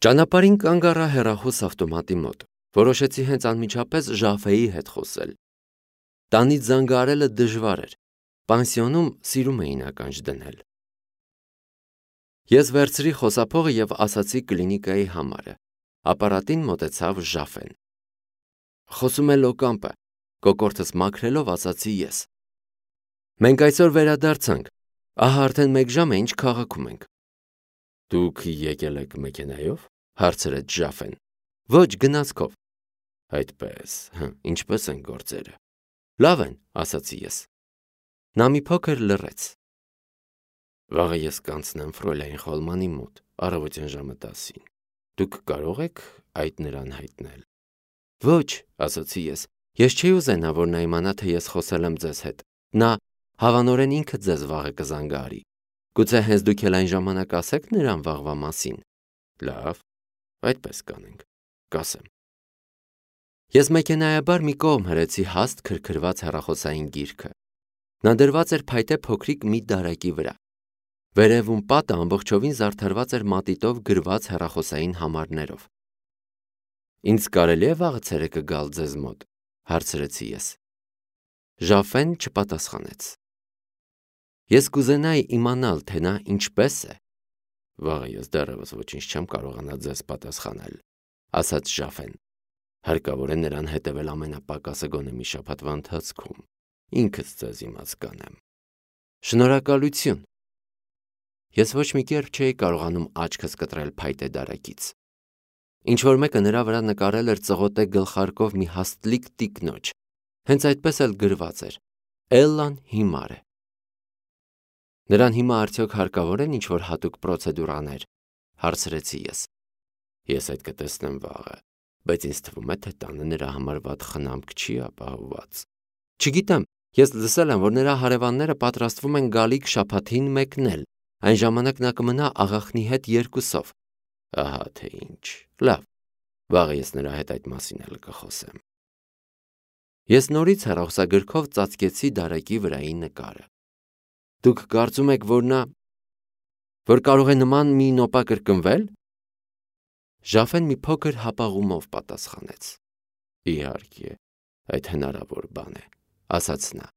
Ճանապարհին կանգ առա հեռախոս ավտոմատի մոտ, որոշեցի հենց անմիջապես Ժաֆեի հետ խոսել։ Տանից զանգահարելը դժվար էր, պանսիոնում սիրում էին ականջ դնել։ Ես վերցրի խոսափողը և ասացի կլինիկայի համարը, ապարատին մոտեցավ Ժաֆեն։ Խոսում է Լոկամպը, կոկորդս մաքրելով ասացի ես։ Մենք այսօր վերադարձանք, ահա արդեն 1 ժամ է ինչ քաղաքում ենք։ Դուք եկել եք մեքենայով, հարցրեց Ժաֆեն։ Ոչ, գնացքով։ Այդպես, ինչպես են գործերը։ Լավ են, ասացի ես։ Նա մի փոքր լռեց։ Վաղը ես կանցնեմ Ֆրոյլայն Խոլմանի մոտ, առավոտյան ժամը 10-ին։ Դուք կարող եք այդ նրան հայտնել։ Ոչ, ասացի ես չի ուզենա, որ նա իմանա, թե ես խոսել եմ ձեզ հետ։ Նա հավանորեն ինքը ձեզ վաղը կզանգահարի։ Գուցե հենց դուք էլ այն ժամանակ ասեք նրան վաղվա մասին։ Լավ, այդպես կանենք, կասեմ։ Ես մեքենայաբար մի կողմ հրեցի հաստ քրքրված հեռախոսային գիրքը։ Նա դրված էր փայտե փոքրիկ մի դարակի վրա։ Վերևում պատը ամբողջովին զարդարված էր մատիտով գրված հեռախոսային համարներով։ Ինձ կարելի է վաղը ցերեկը գալ ձեզ մոտ, հարցրեցի ես։ Ժաֆեն չպատասխանեց։ Ես կուզենայի իմանալ, թե նա ինչպես է։ Վաղը ես դեռևս ոչինչ չեմ կարողանա ձեզ պատասխանել, ասաց Ժաֆեն։ Հարկավոր է նրան հետևել ամենապակասը գոնե մի շաբաթվա ընթացքում։ Ինքս ձեզ իմաց կանեմ։ Շնորհակալություն։ Ես ոչ մի կերպ չէի կարողանում աչքս կտրել փայտե դարակից։ Ինչ-որ մեկը նրա վրա նկարել էր ծղոտե գլխարկով մի հաստլիկ տիկնոջ։ Հենց այդպես էլ գրված էր. Էլլան հիմար է։ Նրան հիմա արդյոք հարկավոր են ինչ-որ հատուկ պրոցեդուրաներ, հարցրեցի ես։ Ես այդ կտեսնեմ վաղը, բայց ինձ թվում է, թե տանը նրա համար վատ խնամք չի ապահովված։ Չգիտեմ, ես լսել եմ, որ նրա հարևանները պատրաստվում են գալիք շաբաթին մեկնել, այն ժամանակ նա կմնա աղախնի հետ 2-ով։ Ահա թե ինչ, լավ, վաղը ես նրա հետ այդ մասին էլ կխոսեմ։ Ես նորից հեռախոսագրքով ծածկեցի դարակի վրայի նկարը։ Դուք կարծում եք, որ կարող է նման մի նոպա կրկնվել։ Ժաֆեն մի փոքր հապաղումով պատասխանեց։ Իհարկե, այդ հնարավոր բան է, ասաց նա,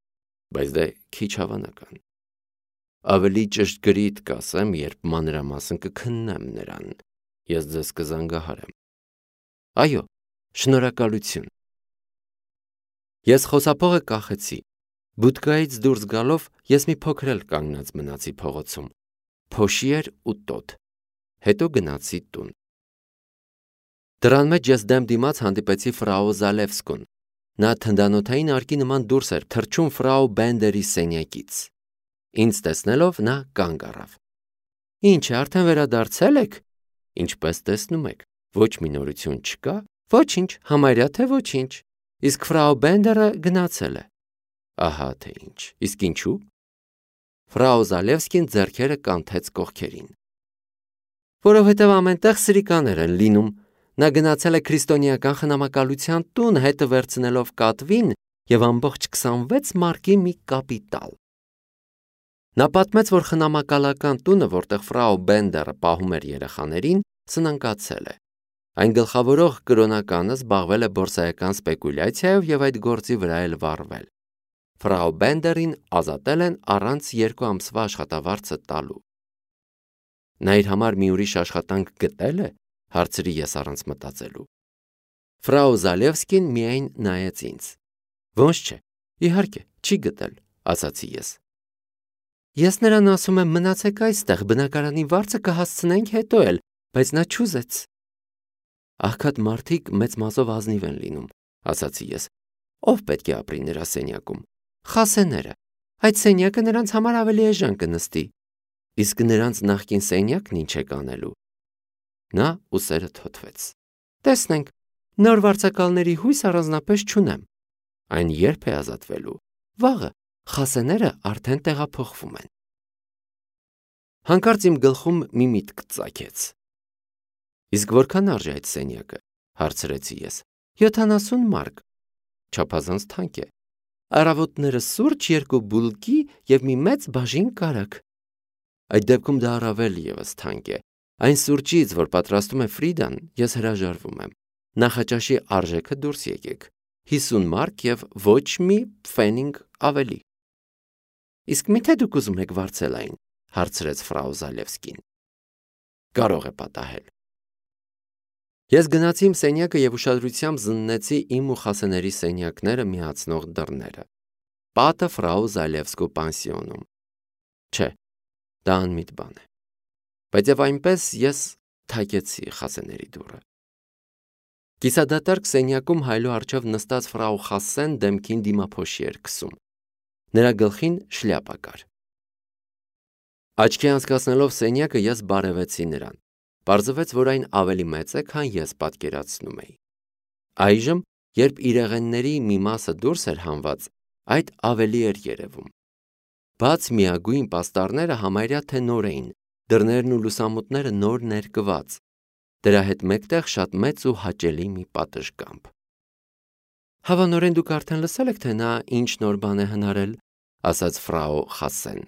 բայց դե քիչ հավանական։ Ավելի ճշգրիտ կասեմ, երբ մանրամասն կքննեմ նրան, ես ձեզ կզանգահարեմ։ Այո, շնորհակալություն։ Ես խոսափողը կախեցի։ Բուդկայից դուրս գալով ես մի փոքր էլ կանգնած մնացի փողոցում։ Փոշի էր ու տոտ։ Հետո գնացի տուն։ Դռան մեջ ես դեմ դիմաց հանդիպեցի ֆրաու Զալևսկուն։ Նա թնդանոթային արկի նման դուրս էր թռչում ֆրաու Բենդերի սենյակից։ Ինձ տեսնելով նա կանգ առավ։ Ինչ է, արդեն վերադարձել եք։ Ինչպես տեսնում եք, ոչ մի նորություն չկա։ Ոչինչ, համարյա թե ոչինչ։ Իսկ ֆրաու Բենդերը գնացել է։ Ահա թե ինչ։ Իսկ ինչու։ Ֆրաու Զալևսկին ձեռքերը կանթեց կողքերին։ Որովհետև ամենտեղ սրիկաներ են լինում։ Նա գնացել է քրիստոնեական խնամակալության տուն, հետը վերցնելով կատվին և ամբողջ 26 մարկի մի կապիտալ։ Նա պատմեց, որ խնամակալական տունը, որտեղ ֆրաու Բենդերը պահում էր երեխաներին, սնանկացել է։ Այն գլխավորող կրոնականը զբաղվել է բորսայական սպեկուլյացիայով և այդ գործի վրա էլ վառվել։ Ֆրաու Բենդերին ազատել են առանց 2 ամսվա աշխատավարձը տալու։ Նա իր համար մի ուրիշ աշխատանք գտել է, հարցրի ես առանց մտածելու։ Ֆրաու Զալևսկին միայն նայեց ինձ։ Ոնց չէ, իհարկե, չի գտել, ասացի ես։ Ես նրան ասում եմ մնացեք այստեղ, բնակարանի վարձը կհասցնենք հետո էլ, բայց նա չուզեց։ Աղքատ մարդիկ մեծ մազով ազնիվ են լինում, ասացի ես։ Ով պետք է ապրի նրա սենյակում։ Խասեները։ Այդ սենյակը նրանց համար ավելի էժան կնստի։ Իսկ նրանց նախկին սենյակն ինչ է կանելու։ Նա ուսերը թոթվեց։ Տեսնենք, նոր վարձակալների հույս առանձնապես չունեմ։ Այն երբ է ազատվելու։ Վաղը, խասեները արդեն տեղափոխվում են։ Հանկարծ իմ գլխում մի միտք ծագեց։ Իսկ որքան արժի այդ սենյակը, հարցրեցի ես։ 70 մարկ։ Չափազանց թանկ է։ Առավոտները սուրճ, 2 բուլկի և մի մեծ բաժին կարագ։ Այդ դեպքում դա առավել ևս թանկ է։ Այն սուրճից, որ պատրաստում է Ֆրիդան, ես հրաժարվում եմ։ Նախաճաշի արժեքը դուրս եկեք։ 50 մարկ եւ ոչ մի փֆենինգ ավելի։ Իսկ միթե դուք ուզում եք վարձել այն, հարցրեց ֆրау Զալևսկին։ Կարող է պատահել։ Ես գնացի իմ սենյակը եւ ուշադրությամբ զննեցի իմ ու Խասեների սենյակները միացնող դռները։ Պատը ֆրау Զալևսկու պանսիոնում։ Չէ, դա անմիտ բան է։ Բայց եւ այնպես ես թակեցի Խասեների դուռը։ Կիսադատարկ սենյակում հայլու առջև նստած ֆրау Խասեն դեմքին դիմափոշի էր քսում։ Նրա գլխին շլյապա կար։ Աչքի անցկացնելով սենյակը ես բարևեցի նրան։ Պարզվեց, որ այն ավելի մեծ է, քան ես պատկերացնում էի։ Այժմ, երբ իրեղենների մի մասը դուրս էր հանված, այդ ավելի էր երևում։ Բաց միագույն պաստառները համարյա թե նոր էին, դռներն ու լուսամուտները նոր ներկված։ Դրա հետ մեկտեղ շատ մեծ ու հաճելի մի պատշգամբ։ Հավանորեն դուք արդեն լսել եք, թե նա ինչ նոր բան է հնարել, ասաց ֆրау Խասեն։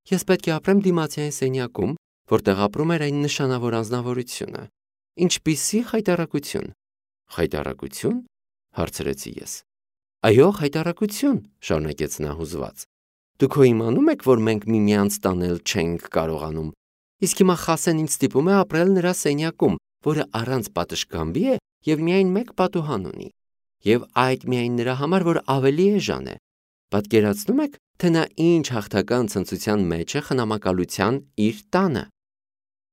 Ես պետք է ապրեմ դիմացիային սենյակում, որտեղ ապրում էր այն նշանավոր անձնավորությունը։ Ինչպիսի խայտառակություն։ Խայտառակություն, հարցրեցի ես։ Այո, խայտառակություն, շարունակեց նա հուզված։ Դուք հո իմանում եք, որ մենք միմյանց տանել չենք կարողանում։ Իսկ հիմա Խասեն ինձ ստիպում է ապրել նրա սենյակում, որը առանց պատշգամբի է եւ միայն մեկ պատուհան ունի։ Եվ այդ միայն նրա համար, որ ավելի էժան է։ Պատկերացնում եք, թե նա ինչ հաղթական ցնծության մեջ է խնամակալության իր տանը։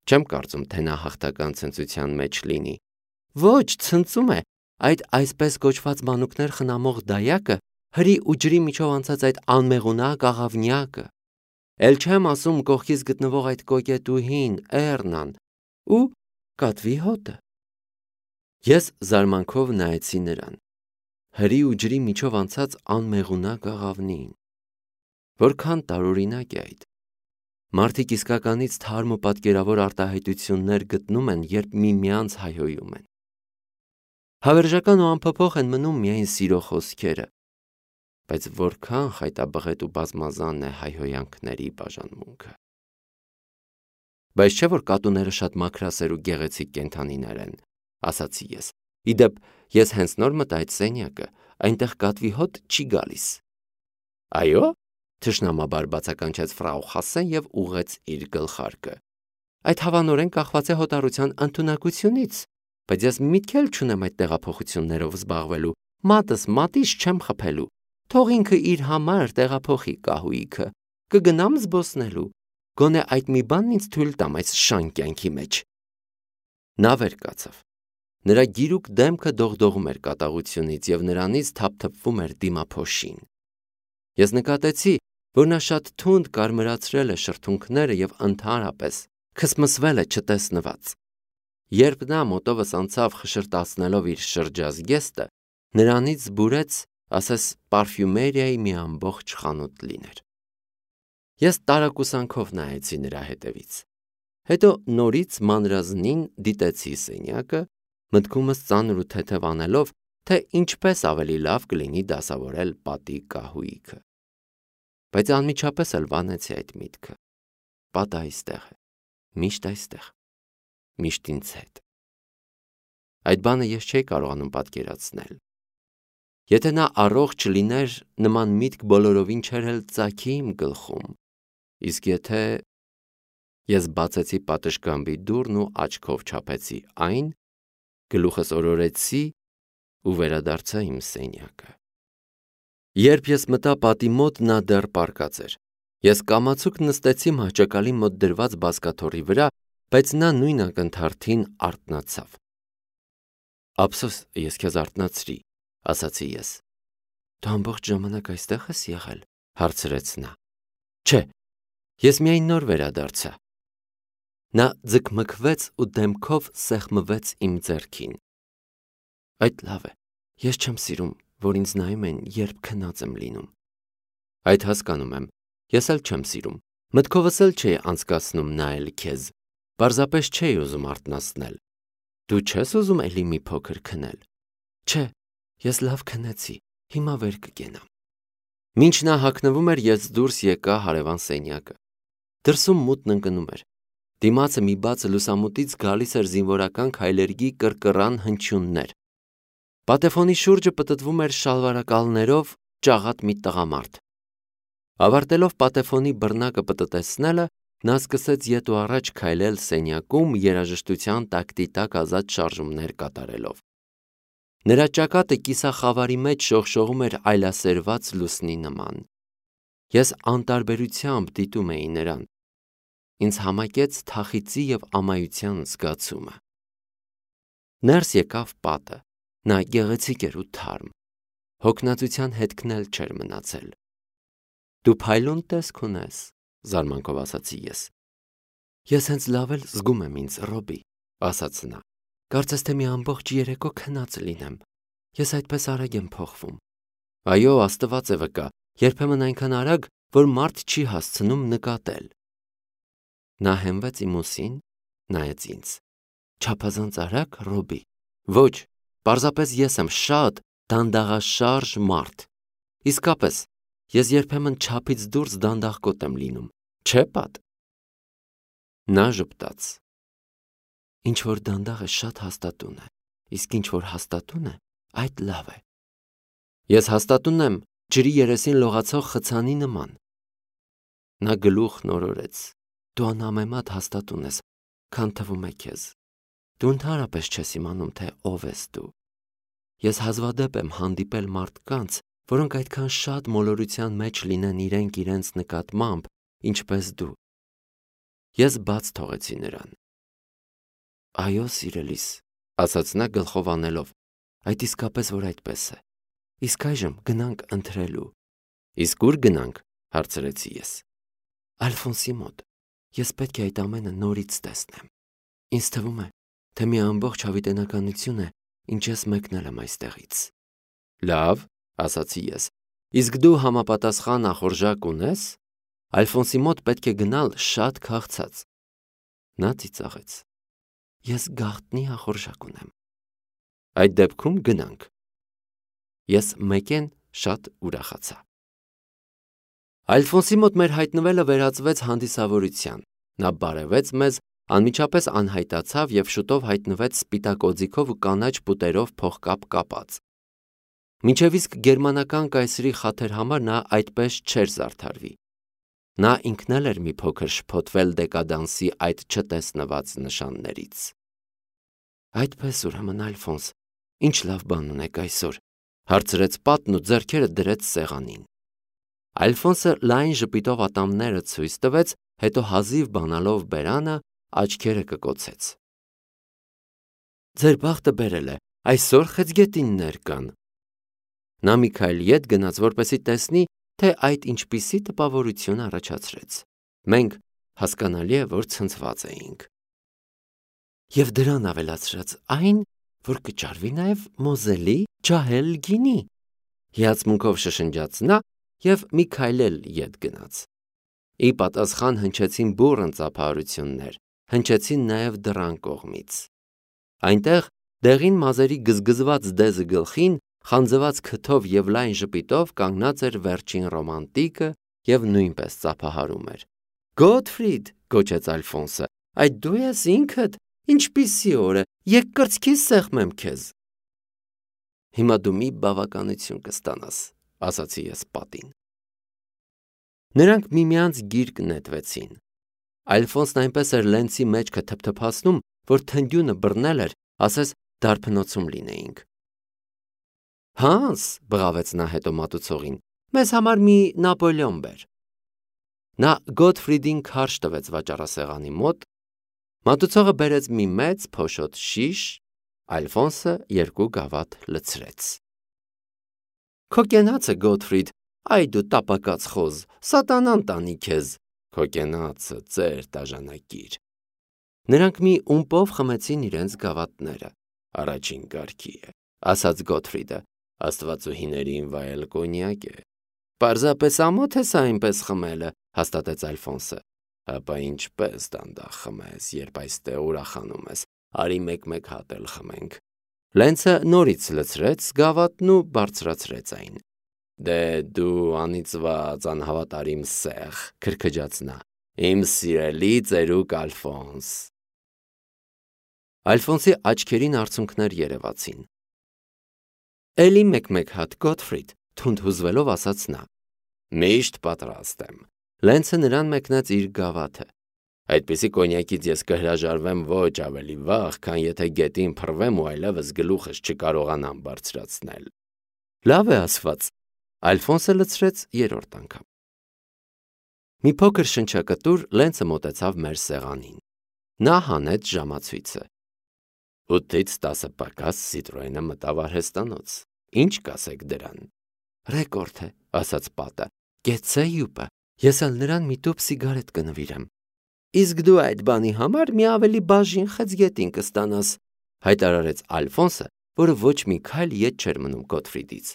Չեմ կարծում, թե նա հաղթական ցնծության մեջ լինի։ Ոչ, ցնծում է։ Այդ այսպես կոչված մանուկներ խնամող դայակը, հրի ու ջրի միջով անցած այդ անմեղունակ աղավնյակը։ Էլ չեմ ասում կողքից գտնվող այդ կոկետուհին, Էռնան ու կատվի հոտը։ Ես զարմանքով նայեցի նրան։ Հրի ու ջրի միջով անցած անմեղունակ աղավնին։ Որքան տարօրինակ է այդ։ Մարդիկ իսկականից թարմ ու պատկերավոր արտահայտություններ գտնում են, երբ միմյանց հայհոյում են։ Հավերժական ու անփոփոխ են մնում միայն սիրո խոսքերը, բայց որքան խայտաբղետ ու բազմազան է հայհոյանքների բաժանմունքը։ Բայց չէ՞ որ կատուները շատ մաքրասեր ու գեղեցիկ կենդանիներ են, ասացի ես։ Իդեպ, ես հենց նոր մտա այդ սենյակը, այնտեղ կատվի հոտ չի գալիս։ Այո՞։ Թշնամաբար բացականչեց ֆրау Խասեն եւ ուղեց իր գլխարկը։ Այդ հավանորեն կախված է հոտառության ընդունակությունից, բայց ես միտք էլ չունեմ այդ տեղափոխություններով զբաղվելու, մատս մատից չեմ խփելու։ Թող ինքը իր համար տեղափոխի կահույքը, կգնամ զբոսնելու, գոնե այդ մի բանն ինձ թույլ տամ այս շան կյանքի մեջ։ Նա վեր կացավ։ Նրա գիրուկ դեմքը դողդողում էր կատաղությունից եւ նրանից թափթփվում էր դիմափոշին։ Ես նկատեցի, որ նա շատ թունդ կարմրացրել է շրթունքները եւ ընդհանրապես քսմսվել է չտեսնված։ Երբ նա մոտովս անցավ խշրտացնելով իր շրջազգեստը, նրանից զբուրեց, ասես պարֆյումերիայի մի ամբողջ խանութ լիներ։ Ես տարակուսանքով նայեցի նրա հետևից։ Հետո նորից մանրազնին դիտեցի սենյակը, մտքումս ծանր ու թեթև անելով, թե ինչպես ավելի լավ կլինի դասավորել պատի կահույքը։ Բայց անմիջապես էլ վանեցի այդ միտքը։ Պատը այստեղ է, միշտ այստեղ, միշտ ինձ հետ։ Այդ բանը ես չէի կարողանում պատկերացնել։ Եթե նա առողջ լիներ, նման միտք բոլորովին չէր էլ ծագի իմ գլխում։ Իսկ եթե… Ես բացեցի պատշգամբի դուռն ու աչքով չափեցի այն, գլուխս օրորեցի ու վերադարձա իմ սենյակը։ Երբ ես մտա պատի մոտ, նա դեռ պառկած էր։ Ես կամացուկ նստեցի մահճակալի մոտ դրված բազկաթոռի վրա, բայց նա նույն ակնթարթին արթնացավ։ Ափսոս, ես քեզ արթնացրի, ասացի ես։ Դու ամբողջ ժամանակ այստեղ ես եղել, հարցրեց նա։ Չէ, ես միայն նոր վերադարձա։ Նա ձգմքվեց ու դեմքով սեղմվեց իմ ձեռքին։ Այդ լավ է, ես չեմ սիրում, որ ինձ նայում են, երբ քնած եմ լինում։ Այդ հասկանում եմ, ես էլ չեմ սիրում, մտքովս էլ չէի անցկացնում նայել քեզ, պարզապես չէի ուզում արթնացնել։ Դու չես ուզում էլի մի փոքր քնել։ Չէ, ես լավ քնեցի, հիմա վեր կգենամ։ Մինչ նա հագնվում էր, ես դուրս եկա հարևան սենյակը։ Դրսում մութն ընկնում էր։ Դիմացը մի բաց լուսամուտից գալիս էր զինվորական քայլերգի կռկռան հնչյուններ։ Պատեֆոնի շուրջը պտտվում էր շալվարակալներով ճաղատ մի տղամարդ։ Ավարտելով պատեֆոնի բռնակը պտտեցնելը, նա սկսեց ետ ու առաջ քայլել սենյակում երաժշտության տակտիտակ ազատ շարժումներ կատարելով։ Նրա ճակատը կիսախավարի մեջ շողշողում էր այլասերված լուսնի նման։ Ես անտարբերությամբ դիտում էի նրան։ Ինձ համակեց թախիծի և ամայության զգացումը։ Ներս եկավ պատը, նա գեղեցիկ էր ու թարմ, հոգնածության հետքն էլ չէր մնացել։ Դու փայլուն տեսք ունես, զարմանքով ասացի ես։ Ես հենց լավ էլ զգում եմ ինձ, Ռոբի, ասաց նա, կարծես թե մի ամբողջ երեկո քնած լինեմ, ես այդպես արագ եմ փոխվում։ Այո, Աստված է վկա, երբեմն այնքան արագ, որ մարդ չի հասցնում նկատել։ Նա հենվեց իմ ուսին, նայեց ինձ։ Չափազանց արագ, Ռոբի։ Ոչ, պարզապես ես եմ շատ դանդաղաշարժ մարդ։ Իսկապես, ես երբեմն չափից դուրս դանդաղկոտ եմ լինում, չէ՞ պատ։ Նա ժպտաց։ Ինչ որ դանդաղ է, շատ հաստատուն է, իսկ ինչ որ հաստատուն է, այդ լավ է։ Ես հաստատուն եմ ջրի երեսին լողացող խցանի նման։ Նա գլուխն օրորեց։ Դու անհամեմատ հաստատուն ես, քան թվում է քեզ։ Դու ընդհանրապես չես իմանում, թե ով ես դու։ Ես հազվադեպ եմ հանդիպել մարդկանց, որոնք այդքան շատ մոլորության մեջ լինեն իրենց նկատմամբ, ինչպես դու։ Ես բաց թողեցի նրան։ Այո, սիրելիս, ասաց նա գլխով անելով, այդ իսկապես որ այդպես է։ Իսկ այժմ գնանք ընթրելու։ Իսկ ուր գնանք, հարցրեցի ես։ Ալֆոնսի մոտ։ Ես պետք է այդ ամենը նորից տեսնեմ։ Ինձ թվում է, թե մի ամբողջ հավիտենականություն է, ինչ ես մեկնել եմ այստեղից։ Լավ, ասացի ես։ Իսկ դու համապատասխան ախորժակ ունես։ Ալֆոնսի մոտ պետք է գնալ շատ քաղցած։ Նա ծիծաղեց։ Ես գաղտնի ախորժակ ունեմ։ Այդ դեպքում գնանք։ Ես մեկեն շատ ուրախացա։ Ալֆոնսի մոտ մեր հայտնվելը վերածվեց հանդիսավորության։ Նա բարևեց մեզ, անմիջապես անհայտացավ և շուտով հայտնվեց սպիտակ օձիքով ու կանաչ պուտերով փողկապ կապած։ Մինչև իսկ գերմանական կայսրի խաթեր համար նա այդպես չէր զարդարվի։ Նա ինքն էլ էր մի փոքր շփոթվել դեկադանսի այդ չտեսնված նշաններից։ Այդպես ուրեմն, Ալֆոնս, ինչ լավ բան ունեք այսօր, հարցրեց պատն ու ձեռքերը դրեց սեղանին։ Ալֆոնսը լայն ժպիտով ատամները ցույց տվեց, հետո հազիվ բանալով բերանը, աչքերը կկոցեց։ Ձեր բախտը բերել է, այսօր խեցգետիններ կան։ Նա մի քայլ ետ գնաց, որպեսզի տեսնի, թե այդ ինչպիսի տպավորություն առաջացրեց։ Մենք հասկանալի է, որ ցնցված էինք։ Եվ դրան ավելացրած այն, որ կճարվի նաև մոզելի ջահել գինի։ Հիացմունքով շշնջաց նա և մի քայլ էլ ետ գնաց։ Ի պատասխան հնչեցին բուռն ծափահարություններ, հնչեցին նաև դռան կողմից։ Այնտեղ դեղին մազերի գզգզված դեզը գլխին, խանձված քթով և լայն ժպիտով կանգնած էր վերջին ռոմանտիկը և նույնպես ծափահարում էր։ Գոթֆրիդ, գոչեց Ալֆոնսը, այդ դու ես ինքդ, ինչպիսի օր է, եկ կրծքիս սեղմեմ քեզ։ Հիմա դու մի բավականություն կստանաս, ասացի ես պատին։ Նրանք միմյանց գիրկ նետվեցին։ Ալֆոնսն այնպես էր լենցի մեջքը թփթփացնում, որ թնդյունը բռնել էր, ասես դարբնոցում լինեինք։ Հանս, բղավեց նա հետո մատուցողին, մեզ համար մի Նապոլեոն բեր։ Նա Գոթֆրիդին քարշ տվեց վաճառասեղանի մոտ, մատուցողը բերեց մի մեծ փոշոտ շիշ, Ալֆոնսը 2 գավաթ լցրեց։ Քո կենացը, Գոթֆրիդ, այ դու տապակած խոզ, սատանան տանի քեզ, քո կենացը, ծեր տաժանակիր։ Նրանք մի ումպով խմեցին իրենց գավաթները։ Առաջին կարգի է, ասաց Գոթֆրիդը, աստվածուհիներին վայել կոնյակ է։ Պարզապես ամոթ է սա այնպես խմելը, հաստատեց Ալֆոնսը։ Հապա ինչպես դանդաղ խմես, երբ այստեղ ուրախանում ես, արի մեկ հատ էլ խմենք։ Լենցը նորից լցրեց գավաթն ու բարձրացրեց այն։ Դե դու անիծված անհավատարիմ սեղ, քրքջաց նա, Իմ սիրելի ծերուկ Ալֆոնս։ Ալֆոնսի աչքերին արցունքներ երևացին։ Էլի մեկ հատ Գոթֆրիդ, թունդ հուզվելով ասաց նա։ Միշտ պատրաստ եմ։ Լենցը նրան մեկնեց իր գավաթը։ Այդպիսի կոնյակից ես կհրաժարվեմ ոչ ավելի վաղ, քան եթե գետին փռվեմ ու այլևս գլուխս չկարողանամ բարձրացնել։ Լավ է ասված։ Ալֆոնսը լցրեց երրորդ անգամ։ Մի փոքր շնչակտուր Լենցը մոտեցավ մեր սեղանին։ Նա հանեց ժամացույցը։ 8-ից 10 պակաս Citroën-ը մտավ արհեստանոց։ Ինչ կասեք դրան։ Ռեկորդ է, ասաց պատը։ Գեցե յուպը։ Ես էլ նրան մի տուփ սիգարետ կնվիրեմ։ Իսկ դու այդ բանի համար մի ավելի բաժին խեցգետին կստանաս, հայտարարեց Ալֆոնսը, որը ոչ մի քայլ ետ չէր մնում Գոթֆրիդից։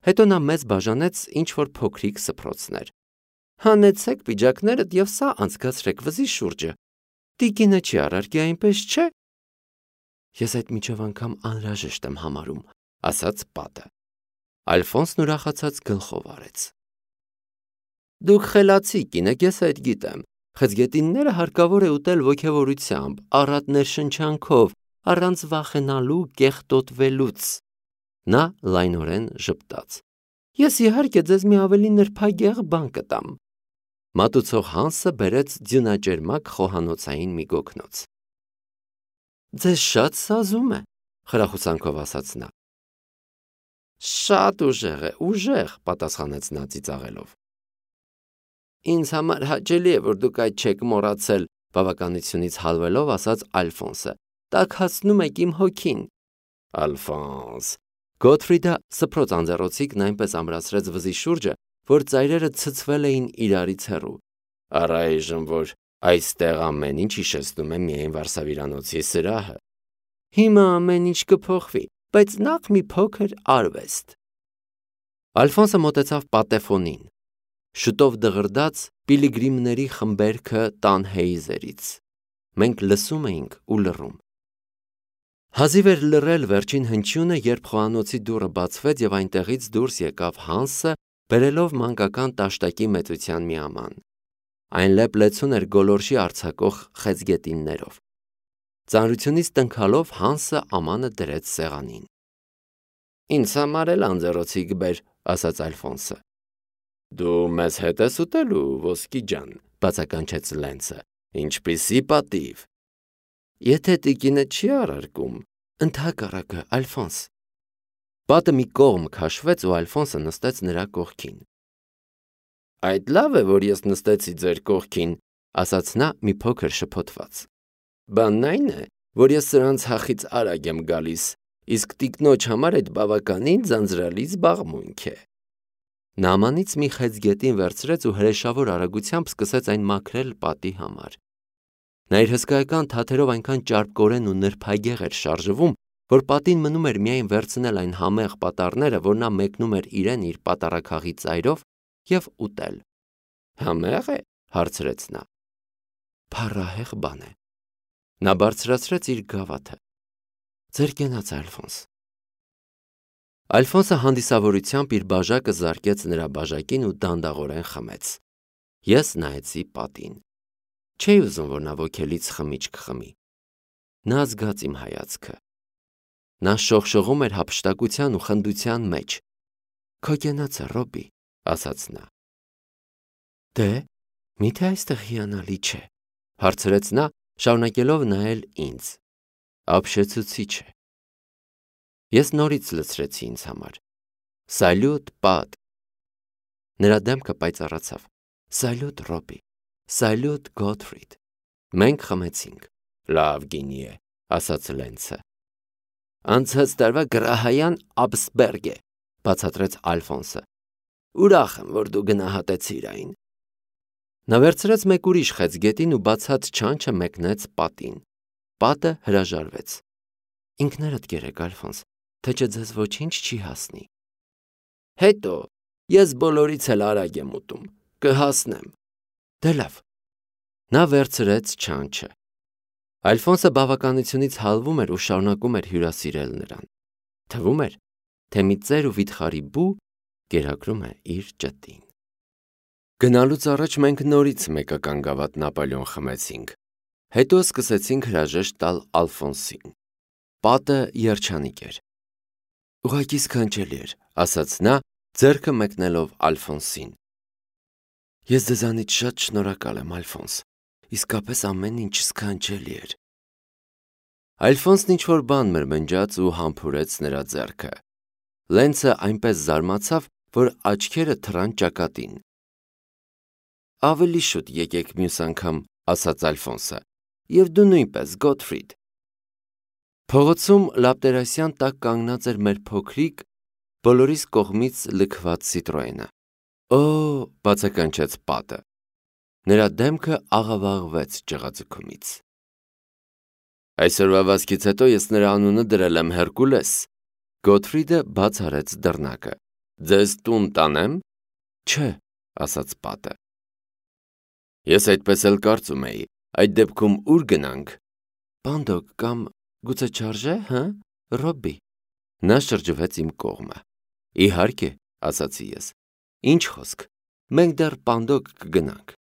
Հետո նա մեզ բաժանեց ինչ-որ փոքրիկ սփռոցներ։ Հանեցեք պիջակներդ եւ սա անցկացրեք վզի շուրջը։ Տիկինը չի առարկի այնպես չէ։ Ես այդ միջև անգամ անհրաժեշտ եմ համարում, ասաց պատը։ Ալֆոնսն ուրախացած գլխով արեց։ Դուք խելացի կին եք, ես այդ գիտեմ։ Խեցգետինները հարկավոր է ուտել ոգևորությամբ, առատ ներշնչանքով, առանց վախենալու կեղտոտվելուց։ Նա լայնորեն ժպտաց։ Ես իհարկե ձեզ մի ավելի նրբագեղ բան կտամ։ Մատուցող Հանսը բերեց ձյունաճերմակ խոհանոցային մի գոգնոց։ Ձեզ շատ սազում է, խրախուսանքով ասաց նա։ Շատ ուժեղ, պատասխանեց նա ծիծաղելով։ Ինձ համար հաճելի է, որ դուք այդ չեք մոռացել, բավականությունից հալվելով ասաց Ալֆոնսը։ Տաքացնում եք իմ հոգին։ Ալֆոնս։ Գոթֆրիդը սփռոց անձեռոցիկն այնպես ամրացրեց վզի շուրջը, որ ծայրերը ցցվել էին իրարից հեռու։ Առայժմ որ այստեղ ամեն ինչ հիշեցնում է միայն Վարսավիրանոցի սրահը։ Հիմա ամեն ինչ կփոխվի, բայց նախ մի փոքր արվեստ։ Ալֆոնսը մոտեցավ պատեֆոնին։ Շուտով դղրդաց պիլիգրիմների խմբերքը Տանհեյզերից։ Մենք լսում էինք ու լռում։ Հազիվ էր լռել վերջին հնչյունը, երբ խոհանոցի դուռը բացվեց եւ այնտեղից դուրս եկավ Հանսը, բերելով մանկական տաշտակի մեծության մի աման։ Այն լեփ-լեցուն էր գոլորշի արձակող խեցգետիններով։ Ծանրությունից տնքալով Հանսը ամանը դրեց սեղանին։ Ինձ համար էլ անձեռոցիկ բեր, ասաց Ալֆոնսը։ Դու մեզ հետ ես ուտելու, ոսկի ջան, բացականչեց Լենցը։ Ինչպիսի պատիվ։ Եթե տիկինը չի առարկում, ընդհակառակը, Ալֆոնս։ Պատը մի կողմ քաշվեց ու Ալֆոնսը նստեց նրա կողքին։ Այդ լավ է, որ ես նստեցի ձեր կողքին, ասաց նա մի փոքր շփոթված։ Բանն այն է, որ ես սրանց հախից արագ եմ գալիս, իսկ տիկնոջ համար այդ բավականին ձանձրալի զբաղմունք է։ Նա ամանից մի խեցգետին վերցրեց ու հրեշավոր արագությամբ սկսեց այն մաքրել պատի համար։ Նա իր հսկայական թաթերով այնքան ճարպկորեն ու նրբագեղ էր շարժվում, որ պատին մնում էր միայն վերցնել այն համեղ պատառները, որ նա մեկնում էր իրեն իր պատարագաղի ծայրով եւ ուտել։ Համեղ է, հարցրեց նա։ Փառահեղ բան է։ Նա բարձրացրեց իր գավաթը։ Ձեր կենաց, Ալֆոնս։ Ալֆոնսը հանդիսավորությամբ իր բաժակը զարկեց նրա բաժակին ու դանդաղորեն խմեց։ Ես նայեցի պատին։ Չէի ուզում, որ նա ոգելից խմիչք խմի։ Նա զգաց իմ հայացքը։ Նա շողշողում էր հափշտակության ու խնդության մեջ։ Քո կենացը, Ռոբի, ասաց նա։ Դե, միթե այստեղ հիանալի չէ, հարցրեց նա, շարունակելով նայել ինձ։ Ապշեցուցիչ է։ Ես նորից լցրեցի ինձ համար։ Սալյուտ, պատ։ Նրա դեմքը պայծառացավ։ Սալյուտ, Ռոբի։ Սալյուտ, Գոթֆրիդ։ Մենք խմեցինք։ Լավ գինի է, ասաց Լենցը։ Անցած տարվա գրահայան Աբսբերգ է, բացատրեց Ալֆոնսը։ Ուրախ եմ, որ դու գնահատեցիր այն։ Նա վերցրեց մեկ ուրիշ խեցգետին ու բացած չանչը մեկնեց պատին։ Պատը հրաժարվեց։ Ինքներդ գերեք, Ալֆոնս, թե չէ ձեզ ոչինչ չի հասնի։ Հետո ես բոլորից էլ արագ եմ ուտում, կհասնեմ։ Դե լավ։ Նա վերցրեց չանչը։ Ալֆոնսը բավականությունից հալվում էր ու շարունակում էր հյուրասիրել նրան։ Թվում էր, թե մի ծեր ու վիթխարի բու կերակրում է իր ճտին։ Գնալուց առաջ մենք նորից մեկական գավաթ Նապոլեոն խմեցինք, հետո սկսեցինք հրաժեշտ տալ Ալֆոնսին։ Պատը երջանիկ էր։ Ուղղակի սքանչելի էր, ասաց նա, ձեռքը մեկնելով Ալֆոնսին։ Ես ձեզանից շատ շնորհակալ եմ, Ալֆոնս, իսկապես ամեն ինչ սքանչելի էր։ Ալֆոնսն ինչ-որ բան մրմնջաց ու համբուրեց նրա ձեռքը։ Լենցը այնպես զարմացավ, որ աչքերը թռան ճակատին։ Ավելի շուտ եկեք մյուս անգամ, ասաց Ալֆոնսը, և դու նույնպես, Գոթֆրիդ։ Փողոցում լապտերասյան տակ կանգնած էր մեր փոքրիկ, բոլորիս կողմից լքված Citroën-ը։ Օ, բացականչեց Պատը։ Նրա դեմքը աղավաղվեց ջղաձգումից։ Այսօրվա վազքից հետո ես նրա անունը դրել եմ Հերկուլես։ Գոթֆրիդը բաց արեց դռնակը։ Ձեզ տուն տանեմ։ Չէ, ասաց Պատը։ Ես այդպես էլ կարծում էի, այդ դեպքում ուր գնանք։ Պանդոկ կամ գուցե չարժե, հը, Ռոբբի։ Նա շրջվեց իմ կողմը։ Իհարկե, ասացի ես։ Ինչ խոսք, մենք դեռ Պանդոկ կգնանք։